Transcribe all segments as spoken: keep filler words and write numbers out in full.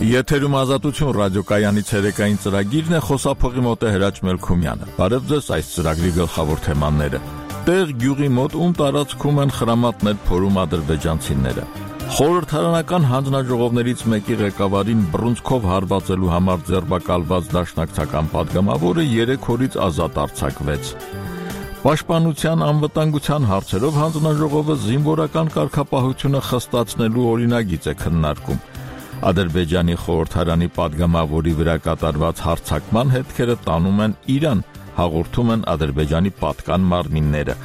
Եթերում ազատություն ռադիոկայանի ցերեկային ծրագիրն է, խոսափողի մոտ է Հրաչ Մելքումյանը։ Բարև ձեզ, այս ծրագրի գլխավոր թեմաները։ Տեղ գյուղի մոտ ում տարածքում են խրամատներ փորում ադրբեջանցիները։ Խորհրդարանական հանձնաժողովներից մեկի ղեկավարին բռունցքով հարվածելու համար ձերբակալված դաշնակցական падգամավորը երեք օրից ազատ արձակվեց։ Պաշտպանության անվտանգության հարցերով հանձնաժողովը զինվորական կարգապահությունը խստացնելու օրինագիծ է քննարկում։ Ադրբեջանի խորհրդարանի падգամավորի վրա կատարված հարձակման հետքերը տանում են Իրան, հաղորդում են Ադրբեջանի պատկան մարմինները։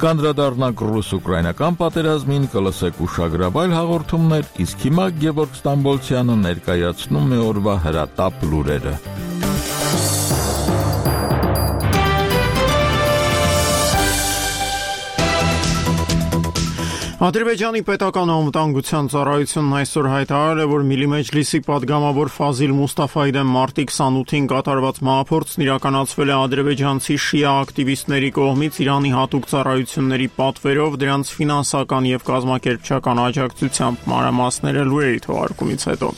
Կանդրադառնանք ռուս-ուկրաինական պատերազմին, կլսեք ուշագրավայր հաղորդումներ, իսկ հիմա Գևորգ Ստամբոլցյանը ներկայացնում է օրվա հրատապ լուրերը։ Ադրբեջանի պետական անվտանգության ծառայությունն այսօր հայտարարել է, որ Միլի Մեջլիսի падգամավոր Ֆազիլ Մուստաֆայի դեմ մարտի քսանութին կատարված մահափորձն իրականացվել է ադրբեջանցի շիա ակտիվիստների կողմից Իրանի հատուկ ծառայությունների պատվերով, դրանց ֆինանսական եւ կազմակերպչական աջակցությամբ, մանրամասները լուրերի թողարկումից հետո։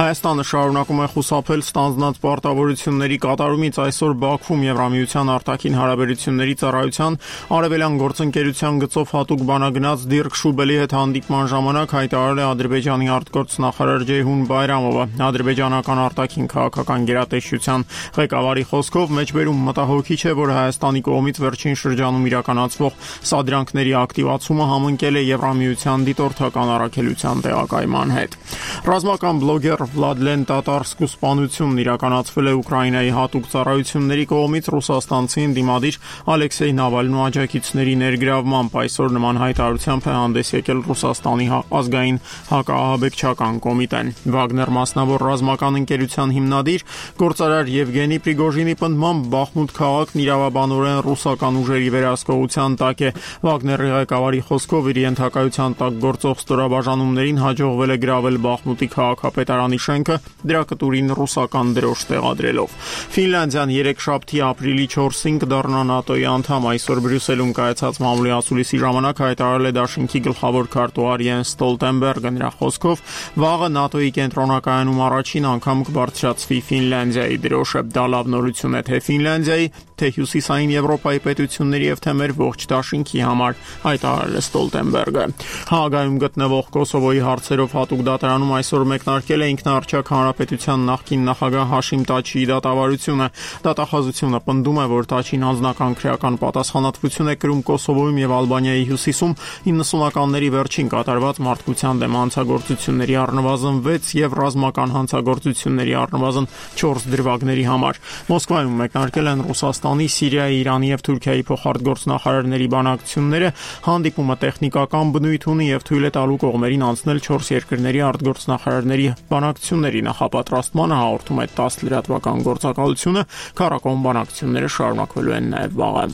Հայաստանը շարունակում է խուսափել ստանձնած պարտավորությունների կատարումից։ Այսօր Բաքվում Եվրամիության արտաքին հարաբերությունների ծառայության արևելյան գործընկերության գծով հատուկ բանագնաց Դիրք Շուբելի հետ հանդիպման ժամանակ հայտարարել է Ադրբեջանի արտգործնախարար Ջեյհուն Բայրամովը։ Ադրբեջանական արտաքին քաղաքական գերատեսչության ղեկավարի խոսքով մեջբերում մտահոգիչ է, որ Հայաստանի կողմից վերջին շրջանում իրականացվող սադրանքների ակտիվացումը համընկել է Եվրամիության դիտորդական առաքելության տեղակայման հետ։ Ռազմական բլոգեր Վլադլեն Տատարսկու սպանությունն իրականացվել է Ուկրաինայի հատուկ ծառայությունների կողմից ռուսաստանցի ընդդիմադիր Ալեքսեյ Նավալնու աջակիցների ներգրավմամբ։ Այսօր նման հայտարարությամբ է հանդես եկել Ռուսաստանի ազգային հակաահաբեկչական կոմիտեն։ Վագներ մասնավոր ռազմական ընկերության հիմնադիր գործարար Եվգենի Պրիգոժինի պնդմամբ Բախմուտ քաղաքն իրավաբանորեն ռուսական ուժերի վերահսկողության տակ է։ Վագների ղեկավարի խոսքով իր ենթակայության տակ գործող ստորաբաժանումներին հաջողվել է գրավել Բախմուտի քաղաքապետարանի շենքը, դրա կտուրին ռուսական դրոշ տեղադրելով։ Ֆինլանդիան երեքշաբթի ապրիլի չորսին կդառնա ՆԱՏՕ-ի անդամ։ Այսօր Բրյուսելում կայացած մամուլի ասուլիսի ժամանակ հայտարարել է Դաշինքի գլխավոր քարտուղար Յենս Ստոլտենբերգը։ Նրա խոսքով վաղը ՆԱՏՕ-ի կենտրոնակայանում առաջին անգամ կբարձրացվի Ֆինլանդիայի դրոշը։ Դա լավ նորություն է թե Ֆինլանդիայի, թե Հյուսիսային Եվրոպայի պետությունների եւ թե մեր ողջ Դաշինքի համար, հայտարարել է Ստոլտենբերգը։ Հաագայում գտնվող Կոսովոյի հարցերով հատուկ դատարանում այսօր մեկնարկել է ինքնաարչակ հանրապետության նախկին նախագահ Հաշիմ Տաչիի դատավարությունը։ Դատախազությունը պնդում է, որ Տաչին անձնական քրեական պատասխանատվություն է կրում Կոսովոյում եւ Ալբանիայի հյուսիսում իննսունականների վերջին կատարված մարդկության դեմ հանցագործությունների առնվազն վեց եւ ռազմական հանցագործությունների առնվազն չորս դրվագների համար։ Մոսկվայում մեկնարկել են Ռուսաստանի, Սիրիայի, Իրանի եւ Թուրքիայի փոխարտգործնախարարների բանակցությունները։ Հանդիպումը տեխնիկական բնույթ ունի եւ թույլ է տալու կողմերին անցնել չորս երկրների արտգործնախարարների բանակցությունների նախապատրաստմանը, հաղորդում է տաս լրատվական գործակալությունը։ Քառակողմ բանակցությունները շարունակվելու են նաեւ վաղը։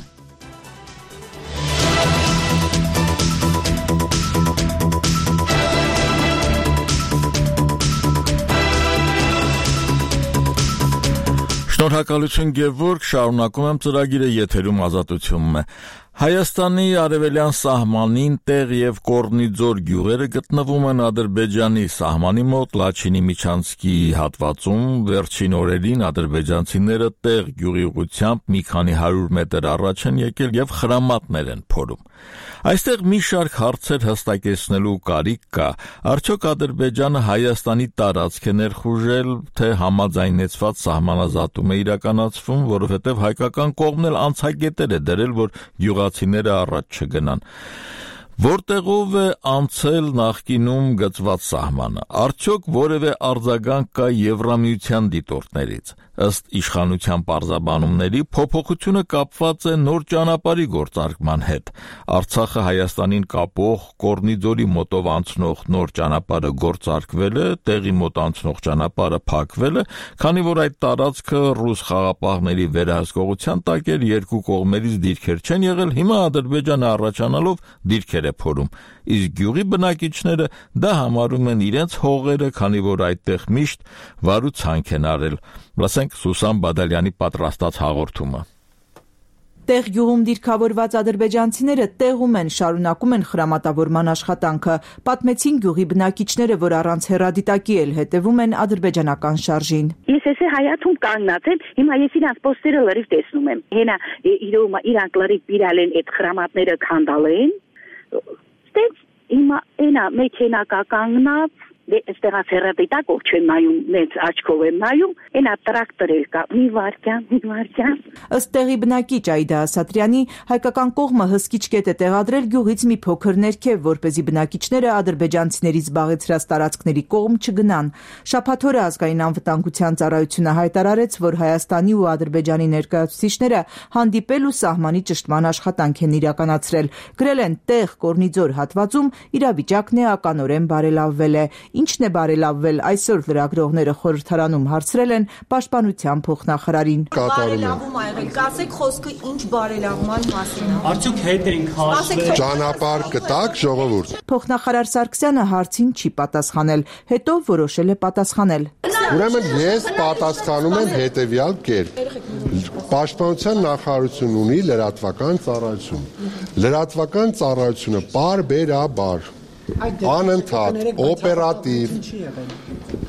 Շնորհակալություն Գևորգ, շարունակում եմ ծրագիրը, եթերում ազատությունն է։ Հայաստանի արևելյան սահմանին Տեղ եւ Կորնիձոր գյուղերը գտնվում են Ադրբեջանի սահմանի մոտ Լաչինի միջանցքի հատվածում։ Վերջին օրերին ադրբեջանցիները Տեղ գյուղի ուղղությամբ մի քանի հարյուր մետր առաջ են եկել եւ խրամատներ են փորում։ Այստեղ մի շարք հարցեր հստակեցնելու կարիք կա։ Արդյոք Ադրբեջանը Հայաստանի տարածք է ներխուժել, թե համաձայնեցված սահմանազատում է իրականացվում, որովհետև հայկական կողմն էլ անցագետեր է դրել, որ գյուղացիները առաջ չգնան։ Որտեղով է անցել նախկինում գծված սահմանը։ Արդյոք որևէ արձագանք կա Եվրամիության դիտորդներից։ Ըստ իշխանության պարզաբանումների, փոփոխությունը կապված է նոր ճանապարհի գործարկման հետ։ Արցախը Հայաստանին կապող Կորնիձորի մոտով անցնող նոր ճանապարհը գործարկվել է, Տեղի մոտ անցնող ճանապարհը փակվել է, քանի որ այդ տարածքը ռուս խաղապահների վերահսկողության տակ էր, երկու կողմերից դիրքեր չեն եղել, հիմա Ադրբեջանը առաջանալով դիրքեր է փորում։ Իսկ գյուղի բնակիչները դա համարում են իրենց հողերը, քանի որ այդտեղ միշտ վարու ցանք են արել։ Լսենք Սուսան Բադալյանի պատրաստած հաղորդումը։ Տեղ գյուղում դիրքավորված ադրբեջանցիները տեղում են, շարունակում են խրամատավորման աշխատանքը, պատմեցին գյուղի բնակիչները, որ առանց հեռադիտակի էլ հետևում են ադրբեջանական շարժին։ Ես էսե հայաթում կանգնած եմ, հիմա ես իրանց պոստերը լրիվ տեսնում եմ։ Հենա իրոք իրանք լրիվ իրալ են այդ խրամատները քանդալեն։ Ստենց հիմա այնա մեքենա կա կանգնած Այստեղած հեռադիտակ ով չեմ նայում, նենց աչքով եմ նայում, այնա տրակտոր էլ կա, մի վարքյան, մի վարքյան։ Ըստ տեղի բնակիչ Այդա Ասատրյանի, հայկական կողմը հսկիչ կետ է տեղադրել գյուղից մի փոքր ներքև, որպեսզի բնակիչները ադրբեջանցիներից զբաղեցրած տարածքների կողմ չգնան։ Շաբաթ օրը ազգային անվտանգության ծառայությունը հայտարարեց, որ Հայաստանի ու Ադրբեջանի ներկայացուցիչները հանդիպել ու սահմանի ճշտման աշխատանք են իրականացրել։ Գրել են տեղ Կորնիձոր հատվածում իրավիճակն էականորեն բարելավվել է։ Ինչն է բարելավվել, այսօր լրագրողները խորհրդարանում հարցրել են պաշտպանության փոխնախարարին։ Բարելավում ա եղել, կասեք խոսքը ինչ բարելավման մասին է։ Արդյոք հետ ենք հաշվել։ Ճանապարհ կտակ ժողովուրդ։ Փոխնախարար Սարգսյանը հարցին չի պատասխանել, հետո որոշել է պատասխանել։ Ուրեմն ես պատասխանում եմ հետևյալ կերպ։ Պաշտպանության նախարարությունն ունի լրատվական ծառայություն։ Լրատվական ծառայությունը բարբերաբար անընդհատ օպերատիվ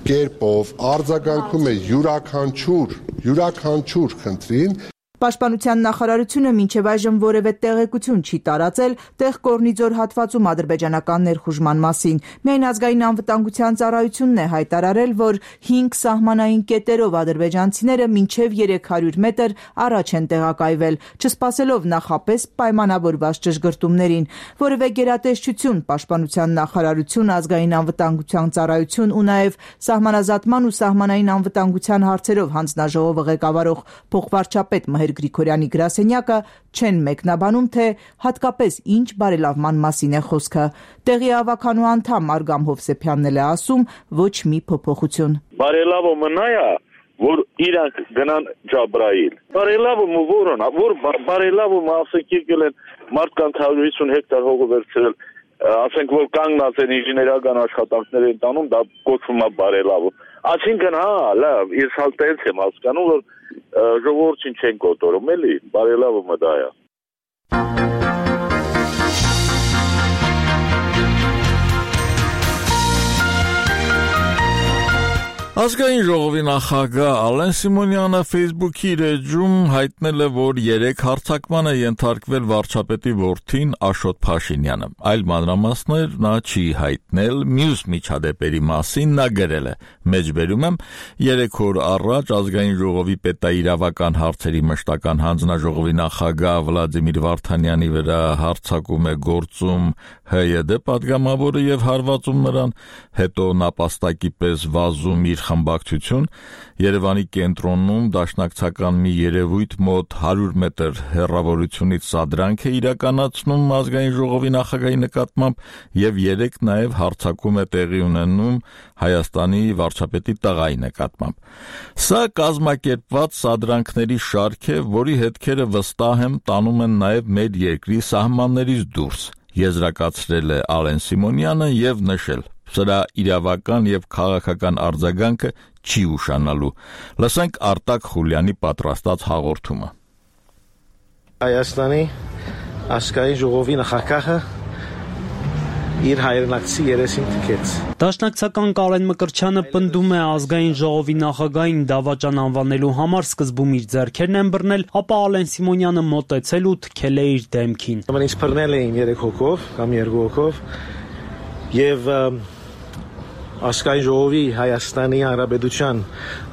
կերպով արձագանքում է յուրաքանչյուր յուրաքանչյուր խնդրին։ Պաշտպանության նախարարությունը մինչև այժմ որևէ տեղեկություն չի տարածել տեղ Կորնիձոր հատվածում ադրբեջանական ներխուժման մասին։ Միայն ազգային անվտանգության ծառայությունն է հայտարարել, որ հինգ սահմանային կետերով ադրբեջանցիները մինչև երեք հարյուր մետր առաջ են տեղակայվել, չսպասելով նախապես պայմանավորված ճշգրտումներին։ Որևէ գերատեսչություն, պաշտպանության նախարարություն, ազգային անվտանգության ծառայություն ու նաև սահմանազատման ու սահմանային անվտանգության հարցերով հանձնաժողովը ղեկավարող փոխվարչապետ Մհեր Գրիգորյանի գրասենյակը չեն մեկնաբանում, թե հատկապես ինչ բարելավման մասին է խոսքը։ Տեղի ավականու անդամ Արգամ Հովսեփյանն էլ է ասում, ոչ մի փոփոխություն։ Բարելավումը նա է, որ իրանք գնան Ջաբրայիլ։ Բարելավումը որն է, որ բարելավումը ասենք եկել են մարդկանց հարյուր հիսուն հեկտար հողը վերցրել, ասենք որ կանգնած են ինժեներական աշխատանքներ են տանում, դա կոչվում է բարելավում։ Այսինքն հա, լավ, ես հալ տենց եմ հասկանում, որ ժողովրդին չեն կոտորում, էլի, բարելավումը դա է։ Ազգային ժողովի նախագահ Ալեն Սիմոնյանը Facebook-ի իր էջում հայտնել է, որ երեք հարձակման է ենթարկվել վարչապետի որդին Աշոտ Փաշինյանը։ Այլ մանրամասներ նա չի հայտնել, մյուս միջադեպերի մասին նա գրել է. Մեջբերում եմ, երեք օր առաջ ազգային ժողովի պետաիրավական հարցերի մշտական հանձնաժողովի նախագահ Վլադիմիր Վարդանյանի վրա հարձակում է գործում Հ Յ D պատգամավորը եւ հարվածում նրան, հետո նապաստակի պես վազում իր խմբակցություն, Երևանի կենտրոնում դաշնակցական մի երևույթ մոտ հարյուր մետր հեռավորությունից սադրանք է իրականացնում ազգային ժողովի նախագահի նկատմամբ եւ երեք նաեւ հարձակում է տեղի ունենում Հայաստանի վարչապետի տղայի նկատմամբ։ Սա կազմակերպված սադրանքների շարք է, որի հետքերը վստահ եմ տանում են նաեւ մեր երկրի սահմաններից դուրս, եզրակացրել է Ալեն Սիմոնյանը եւ նշել. Սրա իրավական եւ քաղաքական արձագանքը չի ուշանալու։ Լսենք Արտակ Խուլյանի պատրաստած հաղորդումը։ Հայաստանի ազգային ժողովի նախագահը իր հայրենակցի երեսին թքեց։ Դաշնակցական Կարեն Մկրտչյանը պնդում է ազգային ժողովի նախագահին դավաճան անվանելու համար սկզբում իր ձեռքերն են բռնել, ապա Ալեն Սիմոնյանը մոտեցել ու թքել է իր դեմքին։ Ինձ բռնել էին երեք հոգով կամ երկու հոգով եւ ազգային ժողովի Հայաստանի Հանրապետության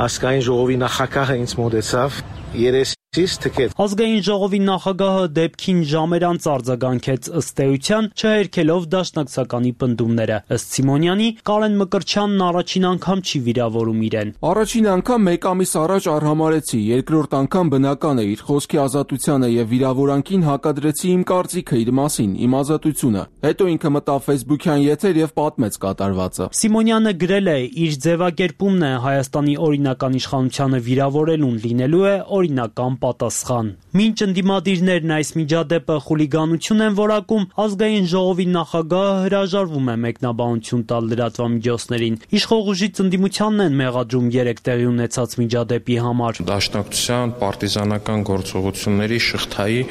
ազգային ժողովի նախագահը ինձ մոտեցավ երես Ազգային ժողովի նախագահը դեպքին ժամեր անց արձագանքեց ըստ էության, չհերքելով դաշնակցականի պնդումները։ Ըստ Սիմոնյանի, Կարեն Մկրտչյանն առաջին անգամ չի վիրավորում իրեն։ Առաջին անգամ մեկ ամիս առաջ արհամարեցի, երկրորդ անգամ բնական է իր խոսքի ազատությանը եւ վիրավորանքին հակադրեցի իմ կարծիքը իր մասին, իմ ազատությունը։ Հետո ինքը մտավ Facebook-յան եթեր եւ պատմեց կատարվածը։ Սիմոնյանը գրել է, իր ձևակերպումն է Հայաստանի օրինական իշխանությանը վիրավորելուն լինելու է օրինական համապատասխան։ Մինչ ընդդիմադիրներն այս միջադեպը խուլիգանություն են որակում, ազգային ժողովի նախագահը հրաժարվում է մեկնաբանություն տալ լրատվամիջոցներին։ Իշխող ուժից ընդդիմությանն են մեղադրում երեք տեղի ունեցած միջադեպի համար։ Դաշնակցության պարտիզանական գործողությունների շղթայի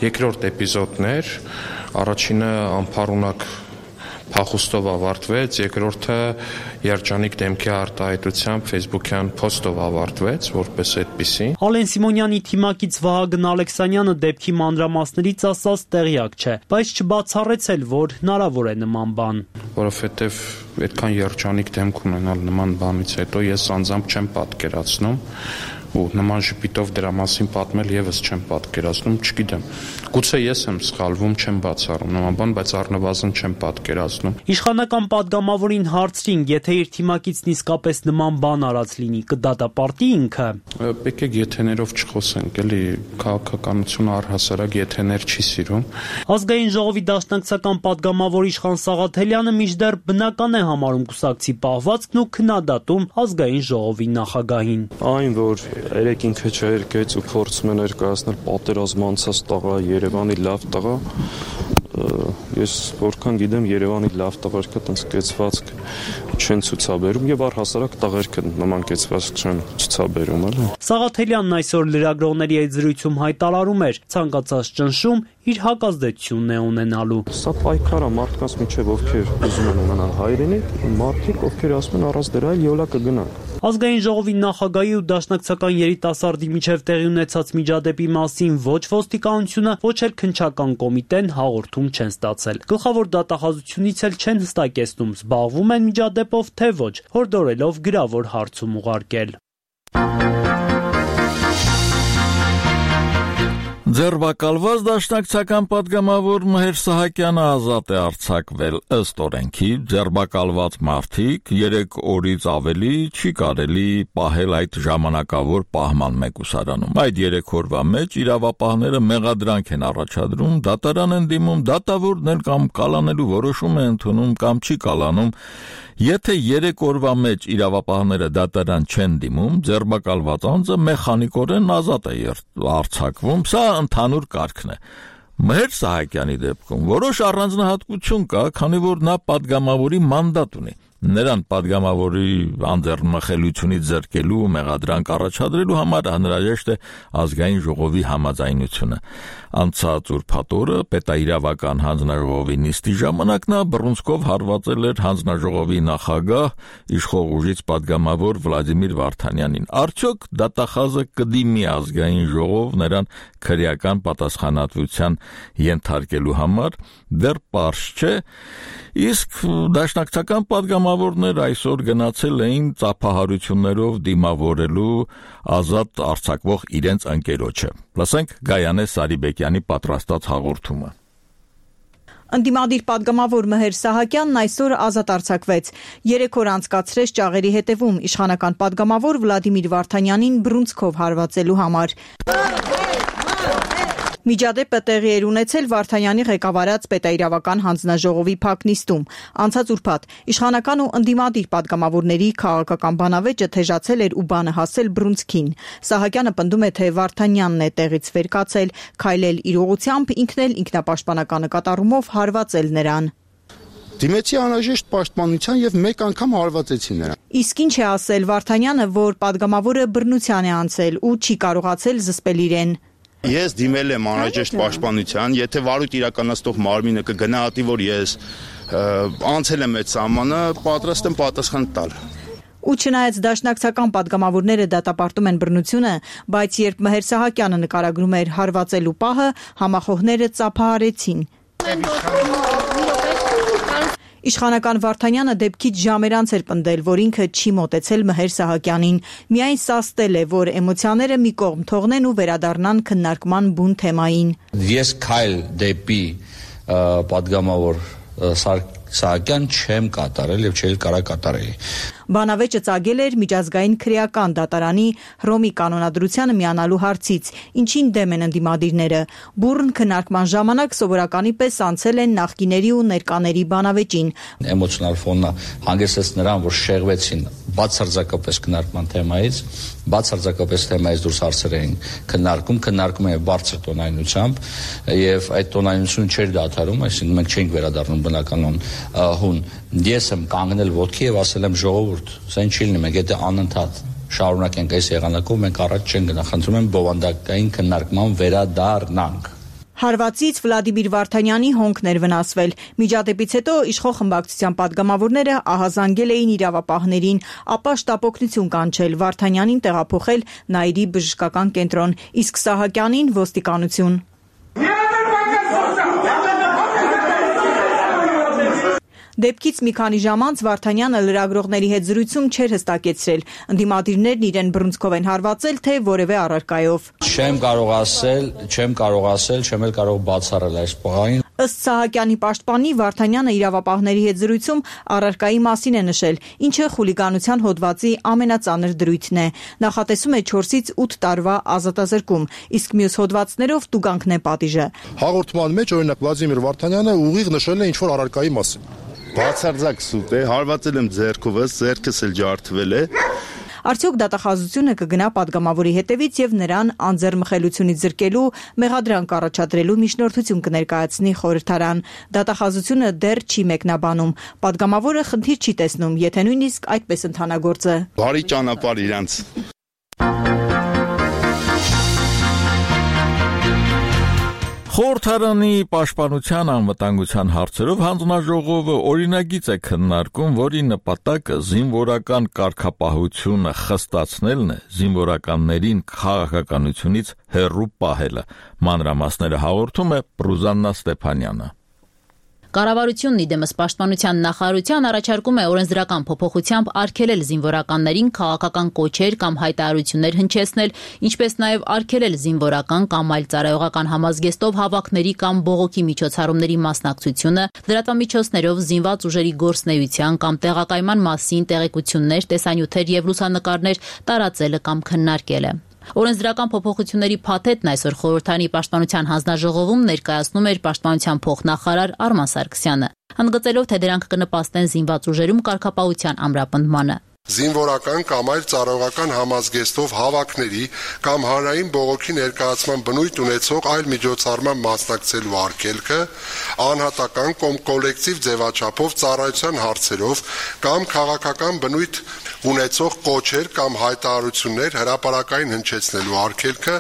երկրորդ էպիզոդներ, առաջինը անփառունակ փախուստով ավարտվեց, երկրորդը երջանիկ դեմքի արտահայտությամբ Facebook-յան post-ով ավարտվեց, որպես այդպիսի։ Ալեն Սիմոնյանի թիմակից Վահագն Ալեքսանյանը դեպքի մանրամասներից ասած տեղյակ չէ, բայց չբացառեցել, որ հնարավոր է նման բան։ Որովհետև այդքան երջանիկ դեմք ունենալ նման բանից հետո ես անձամբ չեմ պատկերացնում ու նման ժպիտով դրա մասին պատմել եւս չեմ պատկերացնում, չգիտեմ։ Գուցե ես եմ սխալվում, չեմ բացառում նման բան, բայց առնվազն չեմ պատկերացնում։ Իշխանական падգամավորին հարցրին, եթե իր թիմակիցն իսկապես նման բան արած լինի, կդատապարտի ինքը։ Եկեք եթեներով չխոսենք, էլի քաղաքականությունը առհասարակ եթեներ չի սիրում։ Ազգային ժողովի դաշնակցական падգամավոր Իշխան Սաղաթելյանը մինչդեռ բնական է համարում կուսակցի պահվածքն ու քննադատում ազգային ժողովի նախագահին։ Այն, որ երեք ինքը չերկեց ու փորձում է ներկայացնել պատերազմ անցած տղա, Երևանի լավ տղա, ես որքան գիտեմ Երևանի լավ տղերքը տենց կեցվածք չեն ցուցաբերում եւ առհասարակ տղերքը նման կեցվածք չեն ցուցաբերում, էլի։ Սաղաթելյանն այսօր լրագրողների այդ զրույցում հայտարարում էր, ցանկացած ճնշում իր հակազդեցությունն է ունենալու։ Սա պայքար է մարդկանց միջև, ովքեր ուզում են ունենալ հայրենիք, մարդիկ, ովքեր ասում են առանց դրա յոլա կգնանք։ Ազգային ժողովի նախագահի ու դաշնակցական երիտասարդի միջև տեղի ունեցած միջադեպի մասին ոչ ոստիկանությունը, ոչ էլ քննչական կոմիտեն հաղորդում չեն ստացել։ Գլխավոր դատախազությունից էլ չեն հստակեցնում, զբաղվում են միջադեպով թե ոչ, հորդորելով գրավոր հարցում ուղարկել։ Ձերբակալված դաշնակցական падգամավոր Մհեր Սահակյանը ազատ է արձակվել ըստ օրենքի, ձերբակալված մարդիկ երեք օրից ավելի չի կարելի պահել այդ ժամանակավոր պահման մեկուսարանում։ Այդ երեք օրվա մեջ իրավապահները մեղադրանք են առաջադրում, դատարան են դիմում, դատավորն էլ կամ կալանելու որոշում է ընդունում կամ չի կալանում։ Եթե երեք օրվա մեջ իրավապահները դատարան չեն դիմում, ձերբակալված անձը մեխանիկորեն ազատ է արձակվում, սա ընդհանուր կարգն է։ Մհեր Սահակյանի դեպքում որոշ առանձնահատկություն կա, քանի որ նա падգամավորի մանդատ ունի։ Նրան падգամավորի անձեռնմխելությունից զրկելու մեղադրանք առաջադրելու համար անհրաժեշտ է ազգային ժողովի համաձայնությունը։ Անցած ուրբաթ օրը պետաիրավական հանձնաժողովի նիստի ժամանակ նա բռունցքով հարվածել էր հանձնաժողովի նախագահ իշխող ուժից падգամավոր Վլադիմիր Վարդանյանին։ Արդյոք դատախազը կդիմի ազգային ժողով նրան քրեական պատասխանատվության ենթարկելու համար, դեռ պարզ չէ, իսկ դաշնակցական падգամավորներ այսօր գնացել էին ծափահարություններով դիմավորելու ազատ արձակվող իրենց ընկերոջը։ Լսենք Գայանե Սարիբեկյանի պատրաստած հաղորդումը։ Ընդդիմադիր падգամավոր Մհեր Սահակյանն այսօր ազատ արձակվեց։ Երեք օր անցկացրեց ճաղերի հետևում իշխանական падգամավոր Վլադիմիր Վարդանյանին բռունցքով հարվածելու համար։ Միջադեպը տեղի էր ունեցել Վարդանյանի ղեկավարած պետաիրավական հանձնաժողովի փակնիստում։ Անցած ուրբաթ իշխանական ու ընդդիմադիր падգամավորների քաղաքական բանավեճը թեժացել էր ու բանը հասել բռունցքին։ Սահակյանը պնդում է, թե Վարդանյանն է տեղից վեր կացել, քայլել իր ուղղությամբ, ինքն էլ ինքնապաշտպանական նկատառումով հարվածել նրան։ Դիմեցի անհրաժեշտ պաշտպանության եւ մեկ անգամ հարվածեցի նրան։ Իսկ ինչ է ասել Վարդանյանը, որ падգամավորը բռնության է անցել ու չի կարողացել զսպել իրեն։ Ես դիմել եմ անհրաժեշտ պաշտպանության, եթե վարույթ իրականացնող մարմինը կգնահատի, որ ես անցել եմ այդ սահմանը, պատրաստ եմ պատասխան տալ։ Ու չնայած դաշնակցական падգամավորները դատապարտում են բռնությունը, բայց երբ Մհեր Սահակյանը նկարագրում էր հարվածելու պահը, համախոհները ծափահարեցին։ Իշխանական Վարդանյանը դեպքից ժամեր անց էր պնդել, որ ինքը չի մոտեցել Մհեր Սահակյանին, միայն սաստել է, որ էմոցիաները մի կողմ թողնեն ու վերադառնան քննարկման բուն թեմային։ Ես քայլ դեպի падգամավոր Սահակյան չեմ կատարել եւ չէի կարա կատարեի։ Բանավեճը ծագել էր միջազգային քրեական դատարանի Հռոմի կանոնադրությանը միանալու հարցից, ինչին դեմ են ընդդիմադիրները։ Բուրըն քննարկման ժամանակ սովորականի պես անցել են նախկիների ու ներկաների բանավեճին։ Էմոցիոնալ ֆոնը հանգեցրեց նրան, որ շեղվեցին բացարձակապես քննարկման թեմայից, բացարձակապես թեմայից դուրս հարցեր էին քննարկում, քննարկում էին բարձր տոնայնությամբ եւ այդ տոնայնությունը չէր դադարում, այսինքն մենք չէինք վերադառնում բնականon հուն։ Ես եմ կանգնել ոտքի եւ ասել եմ ժողովուրդ, սա ինչ լինի, մենք եթե անընդհատ շարունակենք այս եղանակով, մենք առաջ չենք գնա, խնդրում եմ բովանդակային քննարկման վերադառնանք։ Հարվածից Վլադիմիր Վարդանյանի հոնքն էր վնասվել։ Միջադեպից հետո իշխող խմբակցության պատգամավորները ահազանգել էին իրավապահներին, ապա շտապօգնություն կանչել, Վարդանյանին տեղափոխել Նայիրի բժշկական կենտրոն, իսկ Սահակյանին ոստիկանություն։ Դեպքից մի քանի ժամ անց Վարդանյանը լրագրողների հետ զրույցում չէր հստակեցրել, ընդդիմադիրներն իրեն բռունցքով են հարվածել, թե որևէ առարկայով։ Չեմ կարող ասել, չեմ կարող ասել, չեմ էլ կարող բացառել այս պահին։ Ըստ Սահակյանի պաշտպանի, Վարդանյանը իրավապահների հետ զրույցում առարկայի մասին է նշել, ինչը խուլիգանության հոդվածի ամենածանր դրույթն է։ Նախատեսում է չորսից ութ տարվա ազատազրկում, իսկ մյուս հոդվածներով տուգանքն է պատիժը։ Հաղորդման մեջ օրինակ Վլադիմիր Վարդանյանը ուղիղ նշել է ինչ-որ առարկայի մասին։ Բացարձակ սուտ է, հարվածել եմ ձեռքովս, ձեռքս էլ ջարդվել է։ Արդյոք դատախազությունը կգնա պատգամավորի հետևից եւ նրան անձեռմխելությունից զրկելու, մեղադրանք առաջադրելու միջնորդություն կներկայացնի խորհրդարան։ Դատախազությունը դեռ չի մեկնաբանում։ Պատգամավորը խնդիր չի տեսնում, եթե նույնիսկ այդպես ընթանագործը։ Բարի ճանապարհ իրանց։ Խորհրդարանի պաշտպանության անվտանգության հարցերով հանձնաժողովը օրինագիծ է քննարկում, որի նպատակը զինվորական կարգապահությունը խստացնելն է, զինվորականներին քաղաքականությունից հեռու պահելը։ Մանրամասները հաղորդում է Պրուզաննա Ստեփանյանը։ Կառավարությունն իդեմս պաշտպանության նախարարության առաջարկում է օրենսդրական փոփոխությամբ արգելել զինվորականներին քաղաքական կոչեր կամ հայտարարություններ հնչեցնել, ինչպես նաև արգելել զինվորական կամ այլ ծառայողական համազգեստով հավաքների կամ բողոքի միջոցառումների մասնակցությունը, լրատվամիջոցներով զինված ուժերի գործունեության կամ տեղակայման մասին տեղեկություններ, տեսանյութեր եւ լուսանկարներ տարածելը կամ քննարկելը։ Օրենսդրական փոփոխությունների փաթեթն այսօր խորհրդարանի պաշտպանության հանձնաժողովում ներկայացնում էր պաշտպանության փոխնախարար Արման Սարգսյանը, ընդգծելով, թե դրանք կնպաստեն զինված ուժերում կարգապահության ամրապնդմանը։ Զինվորական կամ այլ ծառայողական համազգեստով հավաքների կամ հանրային բողոքի ներկայացման բնույթ ունեցող այլ միջոցառման մասնակցելու արգելքը, անհատական կամ կոլեկտիվ ձևաչափով ծառայության հարցերով կամ քաղաքական բնույթ ունեցող կոչեր կամ հայտարարություններ հրապարակային հնչեցնելու արգելքը,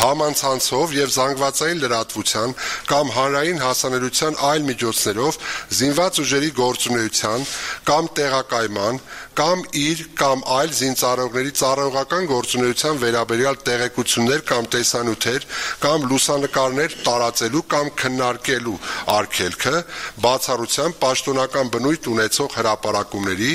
համանցանցով եւ զանգվածային լրատվության կամ հանրային հասանելիության այլ միջոցներով զինված ուժերի գործունեության կամ տեղակայման կամ իր կամ այլ զինծառայողների ծառայողական գործունեության վերաբերյալ տեղեկություններ կամ տեսանյութեր կամ լուսանկարներ տարածելու կամ քննարկելու արգելքը, բացառությամբ պաշտոնական բնույթ ունեցող հրապարակումների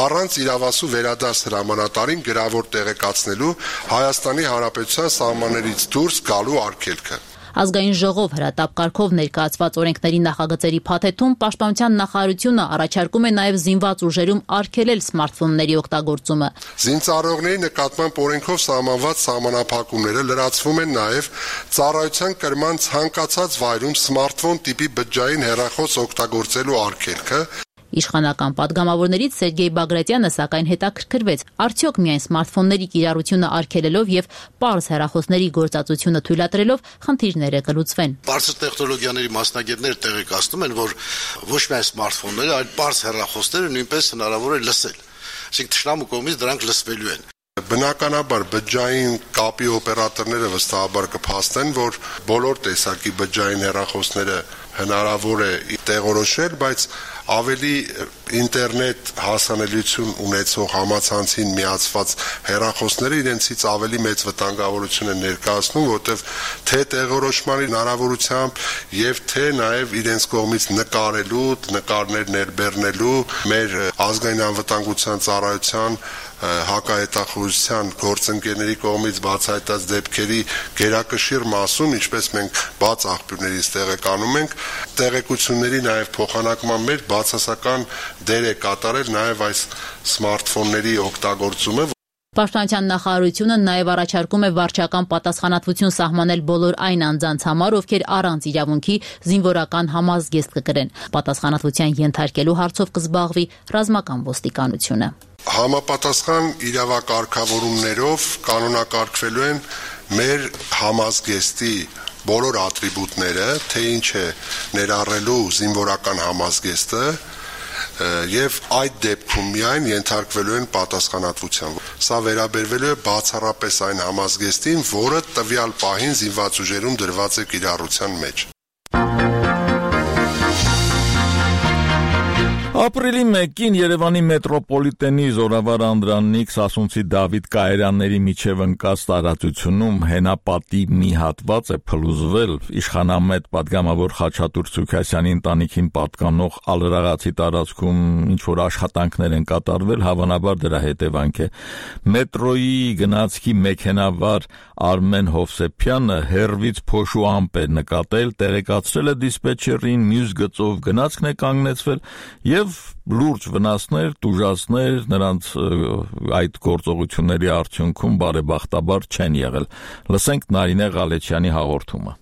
առանց իրավասու վերադարձ հրամանատարին գրավոր տեղեկացնելու Հայաստանի Հանրապետության սահմաններից դուրս գալու արգելքը։ Ազգային ժողով հրատապ կարգով ներկայացված օրենքների նախագծերի փաթեթում պաշտպանության նախարարությունը առաջարկում է նաև զինված ուժերում արգելել սմարթֆոնների օգտագործումը։ Զինծառայողների նկատմամբ օրենքով սահմանված սահմանափակումները լրացվում են նաև ծառայության կրման ցանկացած վայրում սմարթֆոն տիպի բջջային հեռախոս օգտագործելու արգելքը։ Իշխանական պատգամավորներից Սերգեյ Բագրատյանը սակայն հետաքրքրվեց, արդյոք միայն սմարթֆոնների կիրառությունը արգելելով եւ պարզ հեռախոսների գործածությունը թույլատրելով խնդիրները կլուծվեն։ Բարձր տեխնոլոգիաների մասնագետները տեղեկացնում են, որ ոչ միայն սմարթֆոնները, այլ պարզ հեռախոսները նույնպես հնարավոր է լսել։ Այսինքն թշնամու կողմից դրանք լսվելու են։ Բնականաբար բջջային կապի օպերատորները վստահաբար կփաստեն, որ բոլոր տեսակի բջջային հեռախոսները հնարավոր է տեղորոշել, բայց ավելի ինտերնետ հասանելիություն ունեցող համացանցին միացված հեռախոսները իրենցից ավելի մեծ վտանգավորություն են ներկայացնում, որտեղ թե տեղորոշման հնարավորությամբ եւ թե նաեւ իրենց կողմից նկարելու, նկարներ ներբեռնելու մեր ազգային անվտանգության ծառայության հակահետախուզության գործընկերների կողմից բացահայտած դեպքերի գերակշիռ մասում, ինչպես մենք բաց աղբյուրներից տեղեկանում ենք, տեղեկությունների նաև փոխանակման մեջ բացասական դեր է կատարել նաև այս սմարթֆոնների օգտագործումը։ Պաշտպանության նախարարությունը նաև առաջարկում է վարչական պատասխանատվություն սահմանել բոլոր այն անձանց համար, ովքեր առանց իրավունքի զինվորական համազգեստ կգրեն։ Պատասխանատվության ենթարկելու հարցով կզբաղվի ռազմական ոստիկանությունը։ Համապատասխան իրավակարգավորումներով կանոնակարգվելու են մեր համազգեստի բոլոր ատրիբուտները, թե ինչ է ներառելու զինվորական համազգեստը, եւ այդ դեպքում միայն ենթարկվելու են պատասխանատվության։ Սա վերաբերվելու է բացառապես այն համազգեստին, որը տվյալ պահին զինված ուժերում դրված է կիրառության մեջ։ Ապրիլի մեկին Երևանի մետրոպոլիտենի Զորավար Անդրանիկ Սասունցի Դավիթ կայարանների միջև ընկած տարածությունում հենապատի մի հատված է փլուզվել իշխանամետ պատգամավոր Խաչատուր Սուքասյանի ընտանիքին պատկանող Ալրաղացի տարածքում ինչ որ աշխատանքներ են կատարվել, հավանաբար դրա հետևանք է։ Մետրոյի գնացքի մեքենավար Արմեն Հովսեփյանը հերվից փոշու ամպ է նկատել, տեղեկացրել է դիսպեչերին, մյուս գծով գնացքն է կանգնեցվել եւ լուրջ վնասներ, տուժածներ նրանց այդ գործողությունների արդյունքում բարեբախտաբար չեն եղել։ Լսենք Նարինե Ղալեչյանի հաղորդումը։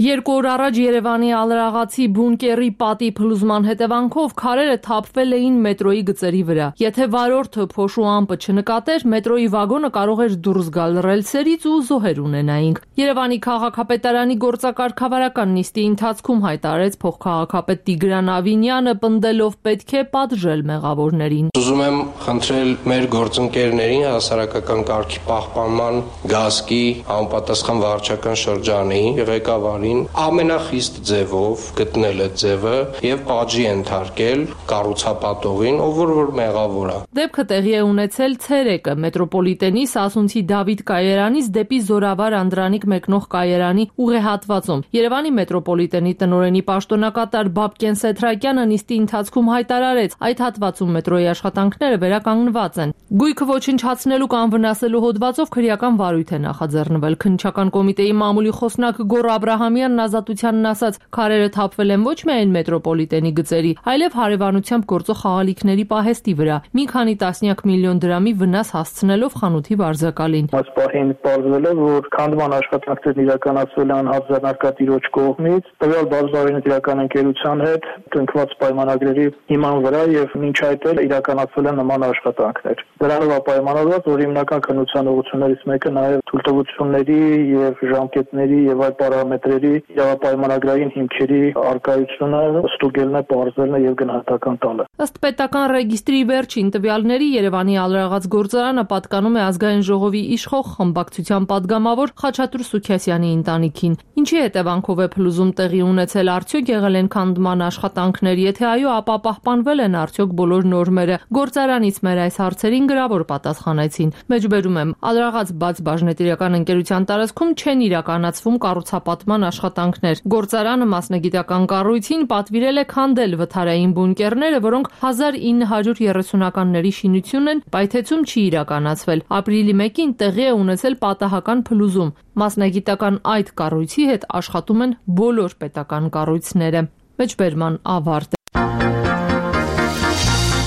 Երկու օր առաջ Երևանի Ալրաղացի բունկերի պատի փլուզման հետևանքով քարերը թափվել էին մետրոյի գծերի վրա։ Եթե վարորդը փոշու ամպը չնկատեր, մետրոյի վագոնը կարող էր դուրս գալ ռելսերից ու զոհեր ունենայինք։ Երևանի քաղաքապետարանի գործակարգավարական նիստի ընթացքում հայտարարեց փոխքաղաքապետ Տիգրան Ավինյանը, պնդելով պետք է պատժել մեղավորներին։ Ուզում եմ խնդրել մեր գործընկերներին հասարակական կարգի պահպանման գազկի համապատասխան վարչական շրջանի ղեկավարին ամենախիստ ձևով գտնել է ձևը եւ պատժի ենթարկել կառուցապատողին, ով որ մեղավոր է։ Դեպքը տեղի է ունեցել ցերեկը մետրոպոլիտենի Սասունցի Դավիթ կայարանից դեպի Զորավար Անդրանիկ մեկնող կայարանի ուղեհատվածում։ Երևանի մետրոպոլիտենի տնօրենի պաշտոնակատար Բաբկեն Սեթրակյանը նիստի ընթացքում հայտարարեց, այդ հատվածում մետրոյի աշխատանքները վերականգնված են։ Գույքը ոչնչացնելու կամ վնասելու հոդվածով քրեական վարույթ է նախաձեռնվել։ Քննչական կոմիտեի մամուլի խոսնակ Գոռ Աբրահամյանն ազատությանն ասաց, քարերը թափվել են ոչ միայն մետրոպոլիտենի գծերի, այլև հարևանությամբ գործող խաղալիքների պահեստի վրա, մի քանի տասնյակ միլիոն դրամի վնաս հասցնելով խանութի վարձակալին։ Այս պահին պարզվել է, որ քանդման աշխատանքներն իրականացվել են հadzանարկատիրոջ կողմից, տվյալ բազբարին իրական ընկերության հետ կնքված պայմանագրերի հիման վրա եւ մինչ այդ էլ իրականացվել են նման աշխատանքներ։ Դրանով պայմանավորված, որ հիմնական քննության ուղղություններից մեկը նաեւ թույլտվությունների եւ ժամկետների եւ այլ պարամետրերի իրավապայմանագրային հիմքերի արկայությունը ստուգելն է, պարզելն է եւ գնահատական տալը։ Ըստ պետական ռեգիստրի վերջին տվյալների Երևանի Ալրաղաց գործարանը պատկանում է ազգային ժողովի իշխող խմբակցության падգամավոր Խաչատուր Սուքասյանի ընտանիքին։ Ինչի հետևանքով է փլուզում տեղի ունեցել, արդյոք եղել են քանդման աշխատանքներ, եթե այո, ապա պահպանվել են արդյոք բոլոր նորմերը։ Գործարանից մեր այս հարցերին գրավոր պատասխանեցին։ Մեջբերում եմ, Ալրաղաց բաց բաժնետիրական ընկերության տարածքում չեն իրականացվում կառուցապատման աշխատանքներ։ Գործարանը մասնագիտական կառույցին պատվիրել է քանդել վթարային բունկերները, որոնք հազար ինը հարյուր երեսունականների շինություն են, պայթեցում չի իրականացվել։ Ապրիլի մեկին տեղի է ունեցել պատահական փլուզում։ Մասնագիտական այդ կառույցի հետ աշխատում են բոլոր պետական կառույցները։ Մեջբերման ավարտ։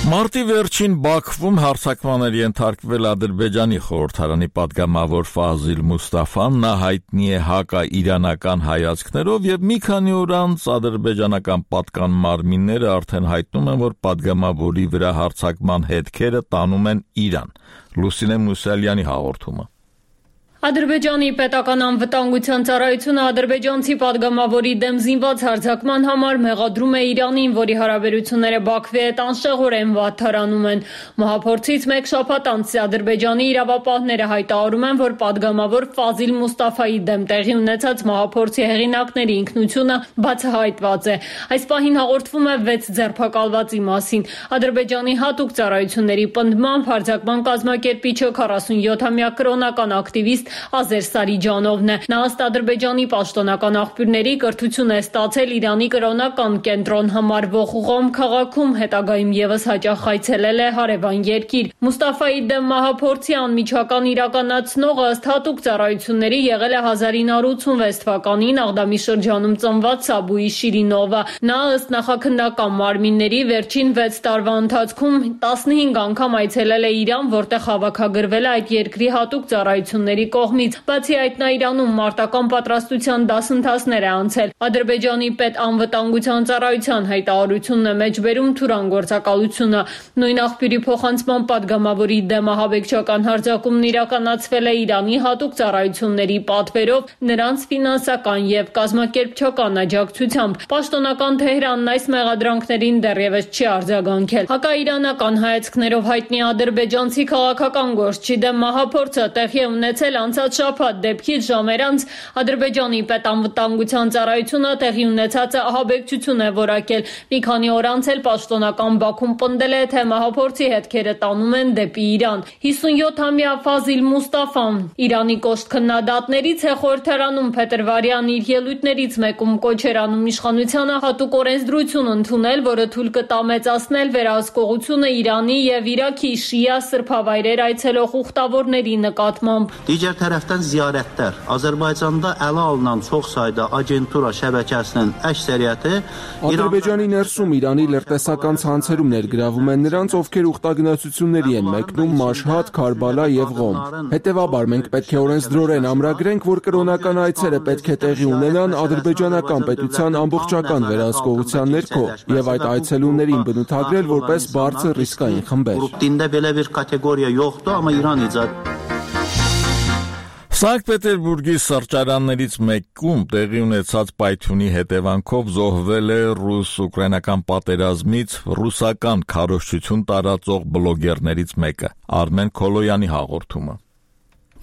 Մարտի վերջին Բաքվում հարձակման էր ենթարկվել Ադրբեջանի խորհրդարանի падգամավոր Ֆազիլ Մուստաֆան, նա հայտնի է հակաիրանական հայացքներով եւ մի քանի օր անց ադրբեջանական պատկան մարմինները արդեն հայտնում են, որ падգամավորի վրա հարձակման հետքերը տանում են Իրան։ Լուսինե Մուսալյանի հաղորդումը։ Ադրբեջանի պետական անվտանգության ծառայությունը ադրբեջանցի падգամավորի դեմ զինված հարձակման համար մեղադրում է Իրանին, որի հարաբերությունները Բաքվի հետ անշեղորեն վատթարանում են։ Մահափորձից մեկ շաբաթ անց Ադրբեջանի իրավապահները հայտարարում են, որ падգամավոր Ֆազիլ Մուստաֆայի դեմ տեղի ունեցած մահափորձի հեղինակների ինքնությունը բացահայտված է։ Այս պահին հաղորդվում է վեց ձերբակալվածի մասին։ Ադրբեջանի հատուկ ծառայությունների պնդմամբ հարձակման կազմակերպիչը քառասունյոթամյա կրոնական ակտիվիստ Ազեր Սարիջանովն է։ Նա ըստ Ադրբեջանի պաշտոնական աղբյուրների կրթություն է ստացել Իրանի կրոնական կենտրոն համարվող Ղոմ քաղաքում, հետագայում եւս հաճախ այցելել է հարևան երկիր։ Մուստաֆայի դեմ մահափորձի անմիջական իրականացնողը ըստ հատուկ ծառայությունների եղել է հազար ինը հարյուր ութսունվեց թվականին Աղդամի շրջանում ծնված Սաբուի Շիրինովը։ Նա ըստ նախաքննական մարմինների վերջին վեց տարվա ընթացքում տասնհինգ անգամ այցելել է Իրան, որտեղ հավաքագրվել է այդ երկրի հատուկ ծառայությունների կողմից։ Բացի այդ, նա Իրանում մարտական պատրաստության դասընթացներ է անցել։ Ադրբեջանի պետանվտանգության ծառայության հայտարարությունն է մեջբերում Թուրան գործակալությունը։ Նույն աղբյուրի փոխանցման պատգամավորի դեմ ահաբեկչական հարձակումն իրականացվել է Իրանի հատուկ ծառայությունների պատվերով, նրանց ֆինանսական եւ կազմակերպչական աջակցությամբ։ Պաշտոնական Թեհրանն այս մեղադրանքներին դեռևս չի արձագանքել։ Հակաիրանական հայացքներով հայտնի ադրբեջանցի քաղաքական գործչի դեմ մահափորձը տեղի է ունեցել անցած շաբաթ դեպքից ժամեր անց Ադրբեջանի պետանվտանգության ծառայությունը տեղի ունեցածը ահաբեկչություն է որակել։ Մի քանի օր անց էլ պաշտոնական Բաքուն պնդել է, թե մահափորձի հետքերը տանում են դեպի Իրան։ հիսունյոթամյա Ֆազիլ Մուստաֆան Իրանի կոշտ քննադատներից է խորհրդարանում փետրվարյան իր ելույթներից մեկում կոչ էր անում իշխանությանը հատուկ օրենսդրություն ընդունել, որը թույլ կտա մեծացնել վերահսկողությունը Իրանի եւ Իրաքի շիա սրբավայրեր այցելող ուխտավորների նկատմամբ։ Digər tərəfdən ziyarətlər Azərbaycanda ələ alınan çox sayda agentura şəbəkəsinin əksəriyyəti Ադրբեջանի ներսում Իրանի լրտեսական ցանցերում ներգրավում են նրանց, ովքեր ուխտագնացությունների են մեկնում Մաշհադ, Քարբալա եւ Ղոմ։ Հետևաբար մենք պետք է օրենսդրորեն ամրագրենք, որ կրոնական այցերը պետք է տեղի ունենան ադրբեջանական պետության ամբողջական վերահսկողության ներքո եւ այդ այցելուներին բնութագրել որպես բարձր ռիսկային խմբեր։ Դինդե belə bir kateqoriya yoxdur, amma İran icad Սանկտ Պետերբուրգի սրճարաններից մեկում տեղի ունեցած պայթյունի հետևանքով զոհվել է ռուս-ուկրաինական պատերազմից ռուսական քարոզչություն տարածող բլոգերներից մեկը։ Արմեն Քոլոյանի հաղորդումը։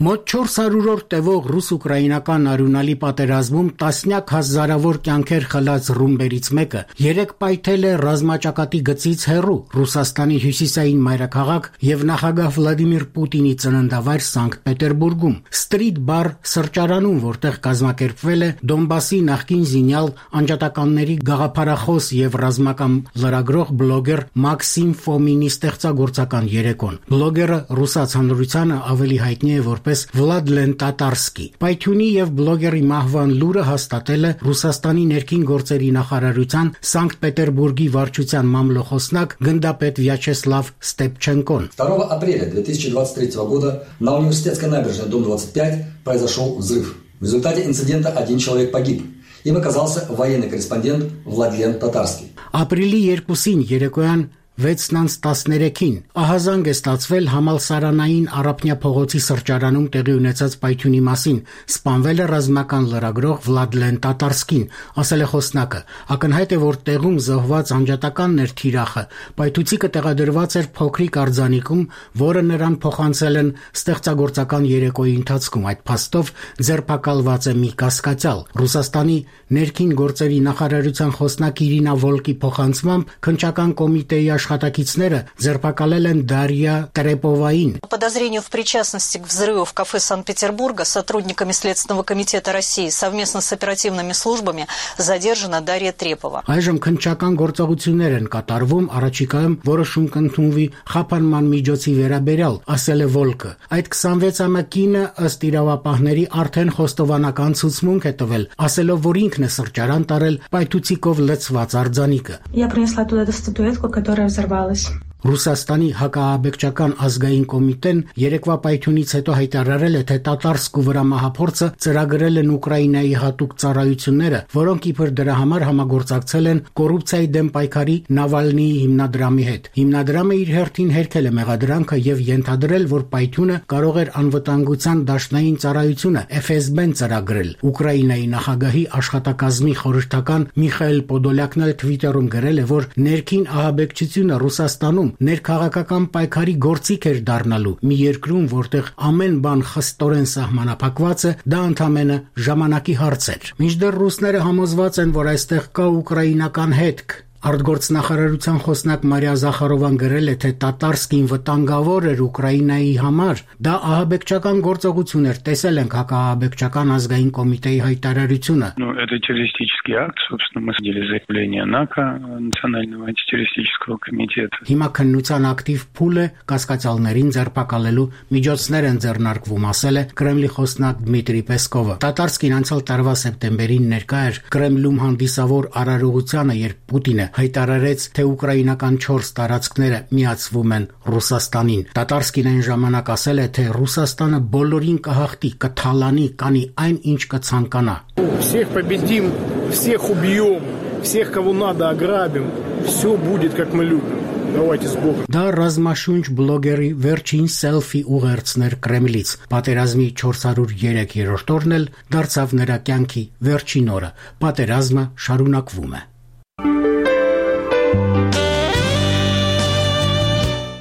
Մոտ չորս հարյուր օր տևող ռուս-ուկրաինական արյունալի պատերազմում տասնյակ հազարավոր կյանքեր խլած ռումբերից մեկը երեկ պայթել է ռազմաճակատի գծից հեռու Ռուսաստանի հյուսիսային մայրաքաղաք եւ նախագահ Վլադիմիր Պուտինի ծննդավայր Սանկտ Պետերբուրգում Street Bar սրճարանում, որտեղ կազմակերպվել է Դոնբասի նախկին զինյալ անջատականների գաղափարախոս եւ ռազմական լրագրող բլոգեր Մաքսիմ Ֆոմինի ստեղծագործական երեկոն։ Բլոգերը ռուսաց հանրությանը ավելի հայտնի է որպես Վլադ Լենտատարսկի։ Պայթյունի եւ բլոգերի мահվան լուրը հաստատել է Ռուսաստանի ներքին գործերի նախարարության Սանկտ Պետերբուրգի վարչության մամլոխոսնակ գնդապետ Վյաչեսլավ Ստեպչենկոն։ второго апреля две тысячи двадцать третьего года на университетской набережной дом двадцать пять произошел взрыв. В результате инцидента один человек погиб. Им оказался военный корреспондент Владлен Татарский. Ապրիլի երկուսին երեկոյան վեցն տասներեքին ահազանգ է ստացվել համալսարանային Արապնյա փողոցի սրճարանում տեղի ունեցած պայթյունի մասին։ Սպանվել է ռազմական լրագրող Վլադլեն Տատարսկին, ասել է խոսնակը։ Ակնհայտ է, որ տեղում զոհված անջատականն էր թիրախը։ Պայթուցիկը տեղադրված էր փոքրիկ արձանիկում, որը նրան փոխանցել են ստեղծագործական երեկոյի ընթացքում։ Այդ փաստով ձերբակալված է մի կասկածյալ։ Ռուսաստանի ներքին գործերի նախարարության խոսնակ Իրինա Վոլկի փոխանցմամբ քննչական կոմիտեի աշխատակիցները ձերբակալել են Դարիա Տրեպովային։ По подозрению в причастности к взрыву в кафе Санкт-Петербурга сотрудниками Следственного комитета России совместно с оперативными службами задержана Дарья Трепова. Այժմ քննչական գործողություններ են կատարվում, առաջիկայում որոշում կընդունվի խափանման միջոցի վերաբերյալ, ասել է Վոլկը։ Այդ քսանվեցամյա կինը ըստ իրավապահների արդեն խոստովանական ցուցմունք է տվել, ասելով, որ ինքն է սրճարան տարել պայթուցիկով լցված արձանիկը։ Я принесла туда эту статуэтку, которая взорвалась. Ռուսաստանի հակաաբեկչական ազգային կոմիտեն երեկվա պայթյունից հետո հայտարարել է, թե Տատարսկու վրա մահափորձը ծրագրել են Ուկրաինայի հատուկ ծառայությունները, որոնք իբր դրա համար համագործակցել են կոռուպցիայի դեմ պայքարի Նավալնիի հիմնադրամի հետ։ Հիմնադրամը իր հերթին հերքել է մեղադրանքը եւ ենթադրել, որ պայթյունը կարող էր անվտանգության դաշնային ծառայությունը Էֆ Էս Բեն ծրագրել։ Ուկրաինայի նախագահի աշխատակազմի խորհրդական Միխայել Պոդոլյակն էլ Twitter-ում գրել է, որ ներքին ահաբեկչությունը Ռուսաստանում ներքաղաքական պայքարի գործիք էր դառնալու մի երկրում, որտեղ ամեն բան խստորեն սահմանափակված է, դա ընդամենը ժամանակի հարց էր։ Մինչդեռ ռուսները համոզված են, որ այստեղ կա ուկրաինական հետք։ Արտգործնախարարության խոսնակ Մարիա Զախարովան գրել է, թե Տատարսկին վտանգավոր էր Ուկրաինայի համար։ Դա ահաբեկչական գործողություն էր, տեսել ենք հակաահաբեկչական ազգային կոմիտեի հայտարարությունը։ Ну, это террористический акт, собственно, мы сделали заявление НАКО, Национального антитеррористического комитета. Հիմա քննության ակտիվ փուլ է կասկածյալներին ձերբակալելու միջոցներ են ձեռնարկվում, ասել է Կրեմլի խոսնակ Դմիտրի Պեսկովը։ Տատարսկին անցյալ տարվա սեպտեմբերին ներկա էր Կրեմլում հանդիսավոր արարողությանը, երբ Պուտինը հայտարարեց, թե ուկրաինական չորս տարածքները միացվում են Ռուսաստանին։ Տատարսկին այն ժամանակ ասել է, թե Ռուսաստանը բոլորին կհաղթի, կթալանի, կանի այն, ինչ կցանկանա։ Всех победим, всех убьем, всех, кого надо, ограбим. Все будет, как мы любим. Давайте с Богом. Դա ռազմաշունչ բլոգերի վերջին սելֆի ուղերձներ Կրեմլից։ Պատերազմի չորսորոյերեք օրն էլ դարձավ նրա կյանքի վերջին օրը։ Պատերազմը շարունակվում է։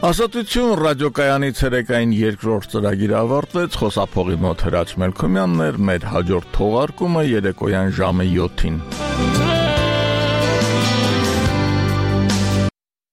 Ազատություն ռադիոկայանի ցերեկային երկրորդ ծրագիրը ավարտվեց, խոսափողի մոտ Հրաչ Մելքոմյանն էր, մեր հաջորդ թողարկումը երեկոյան ժամը յոթին։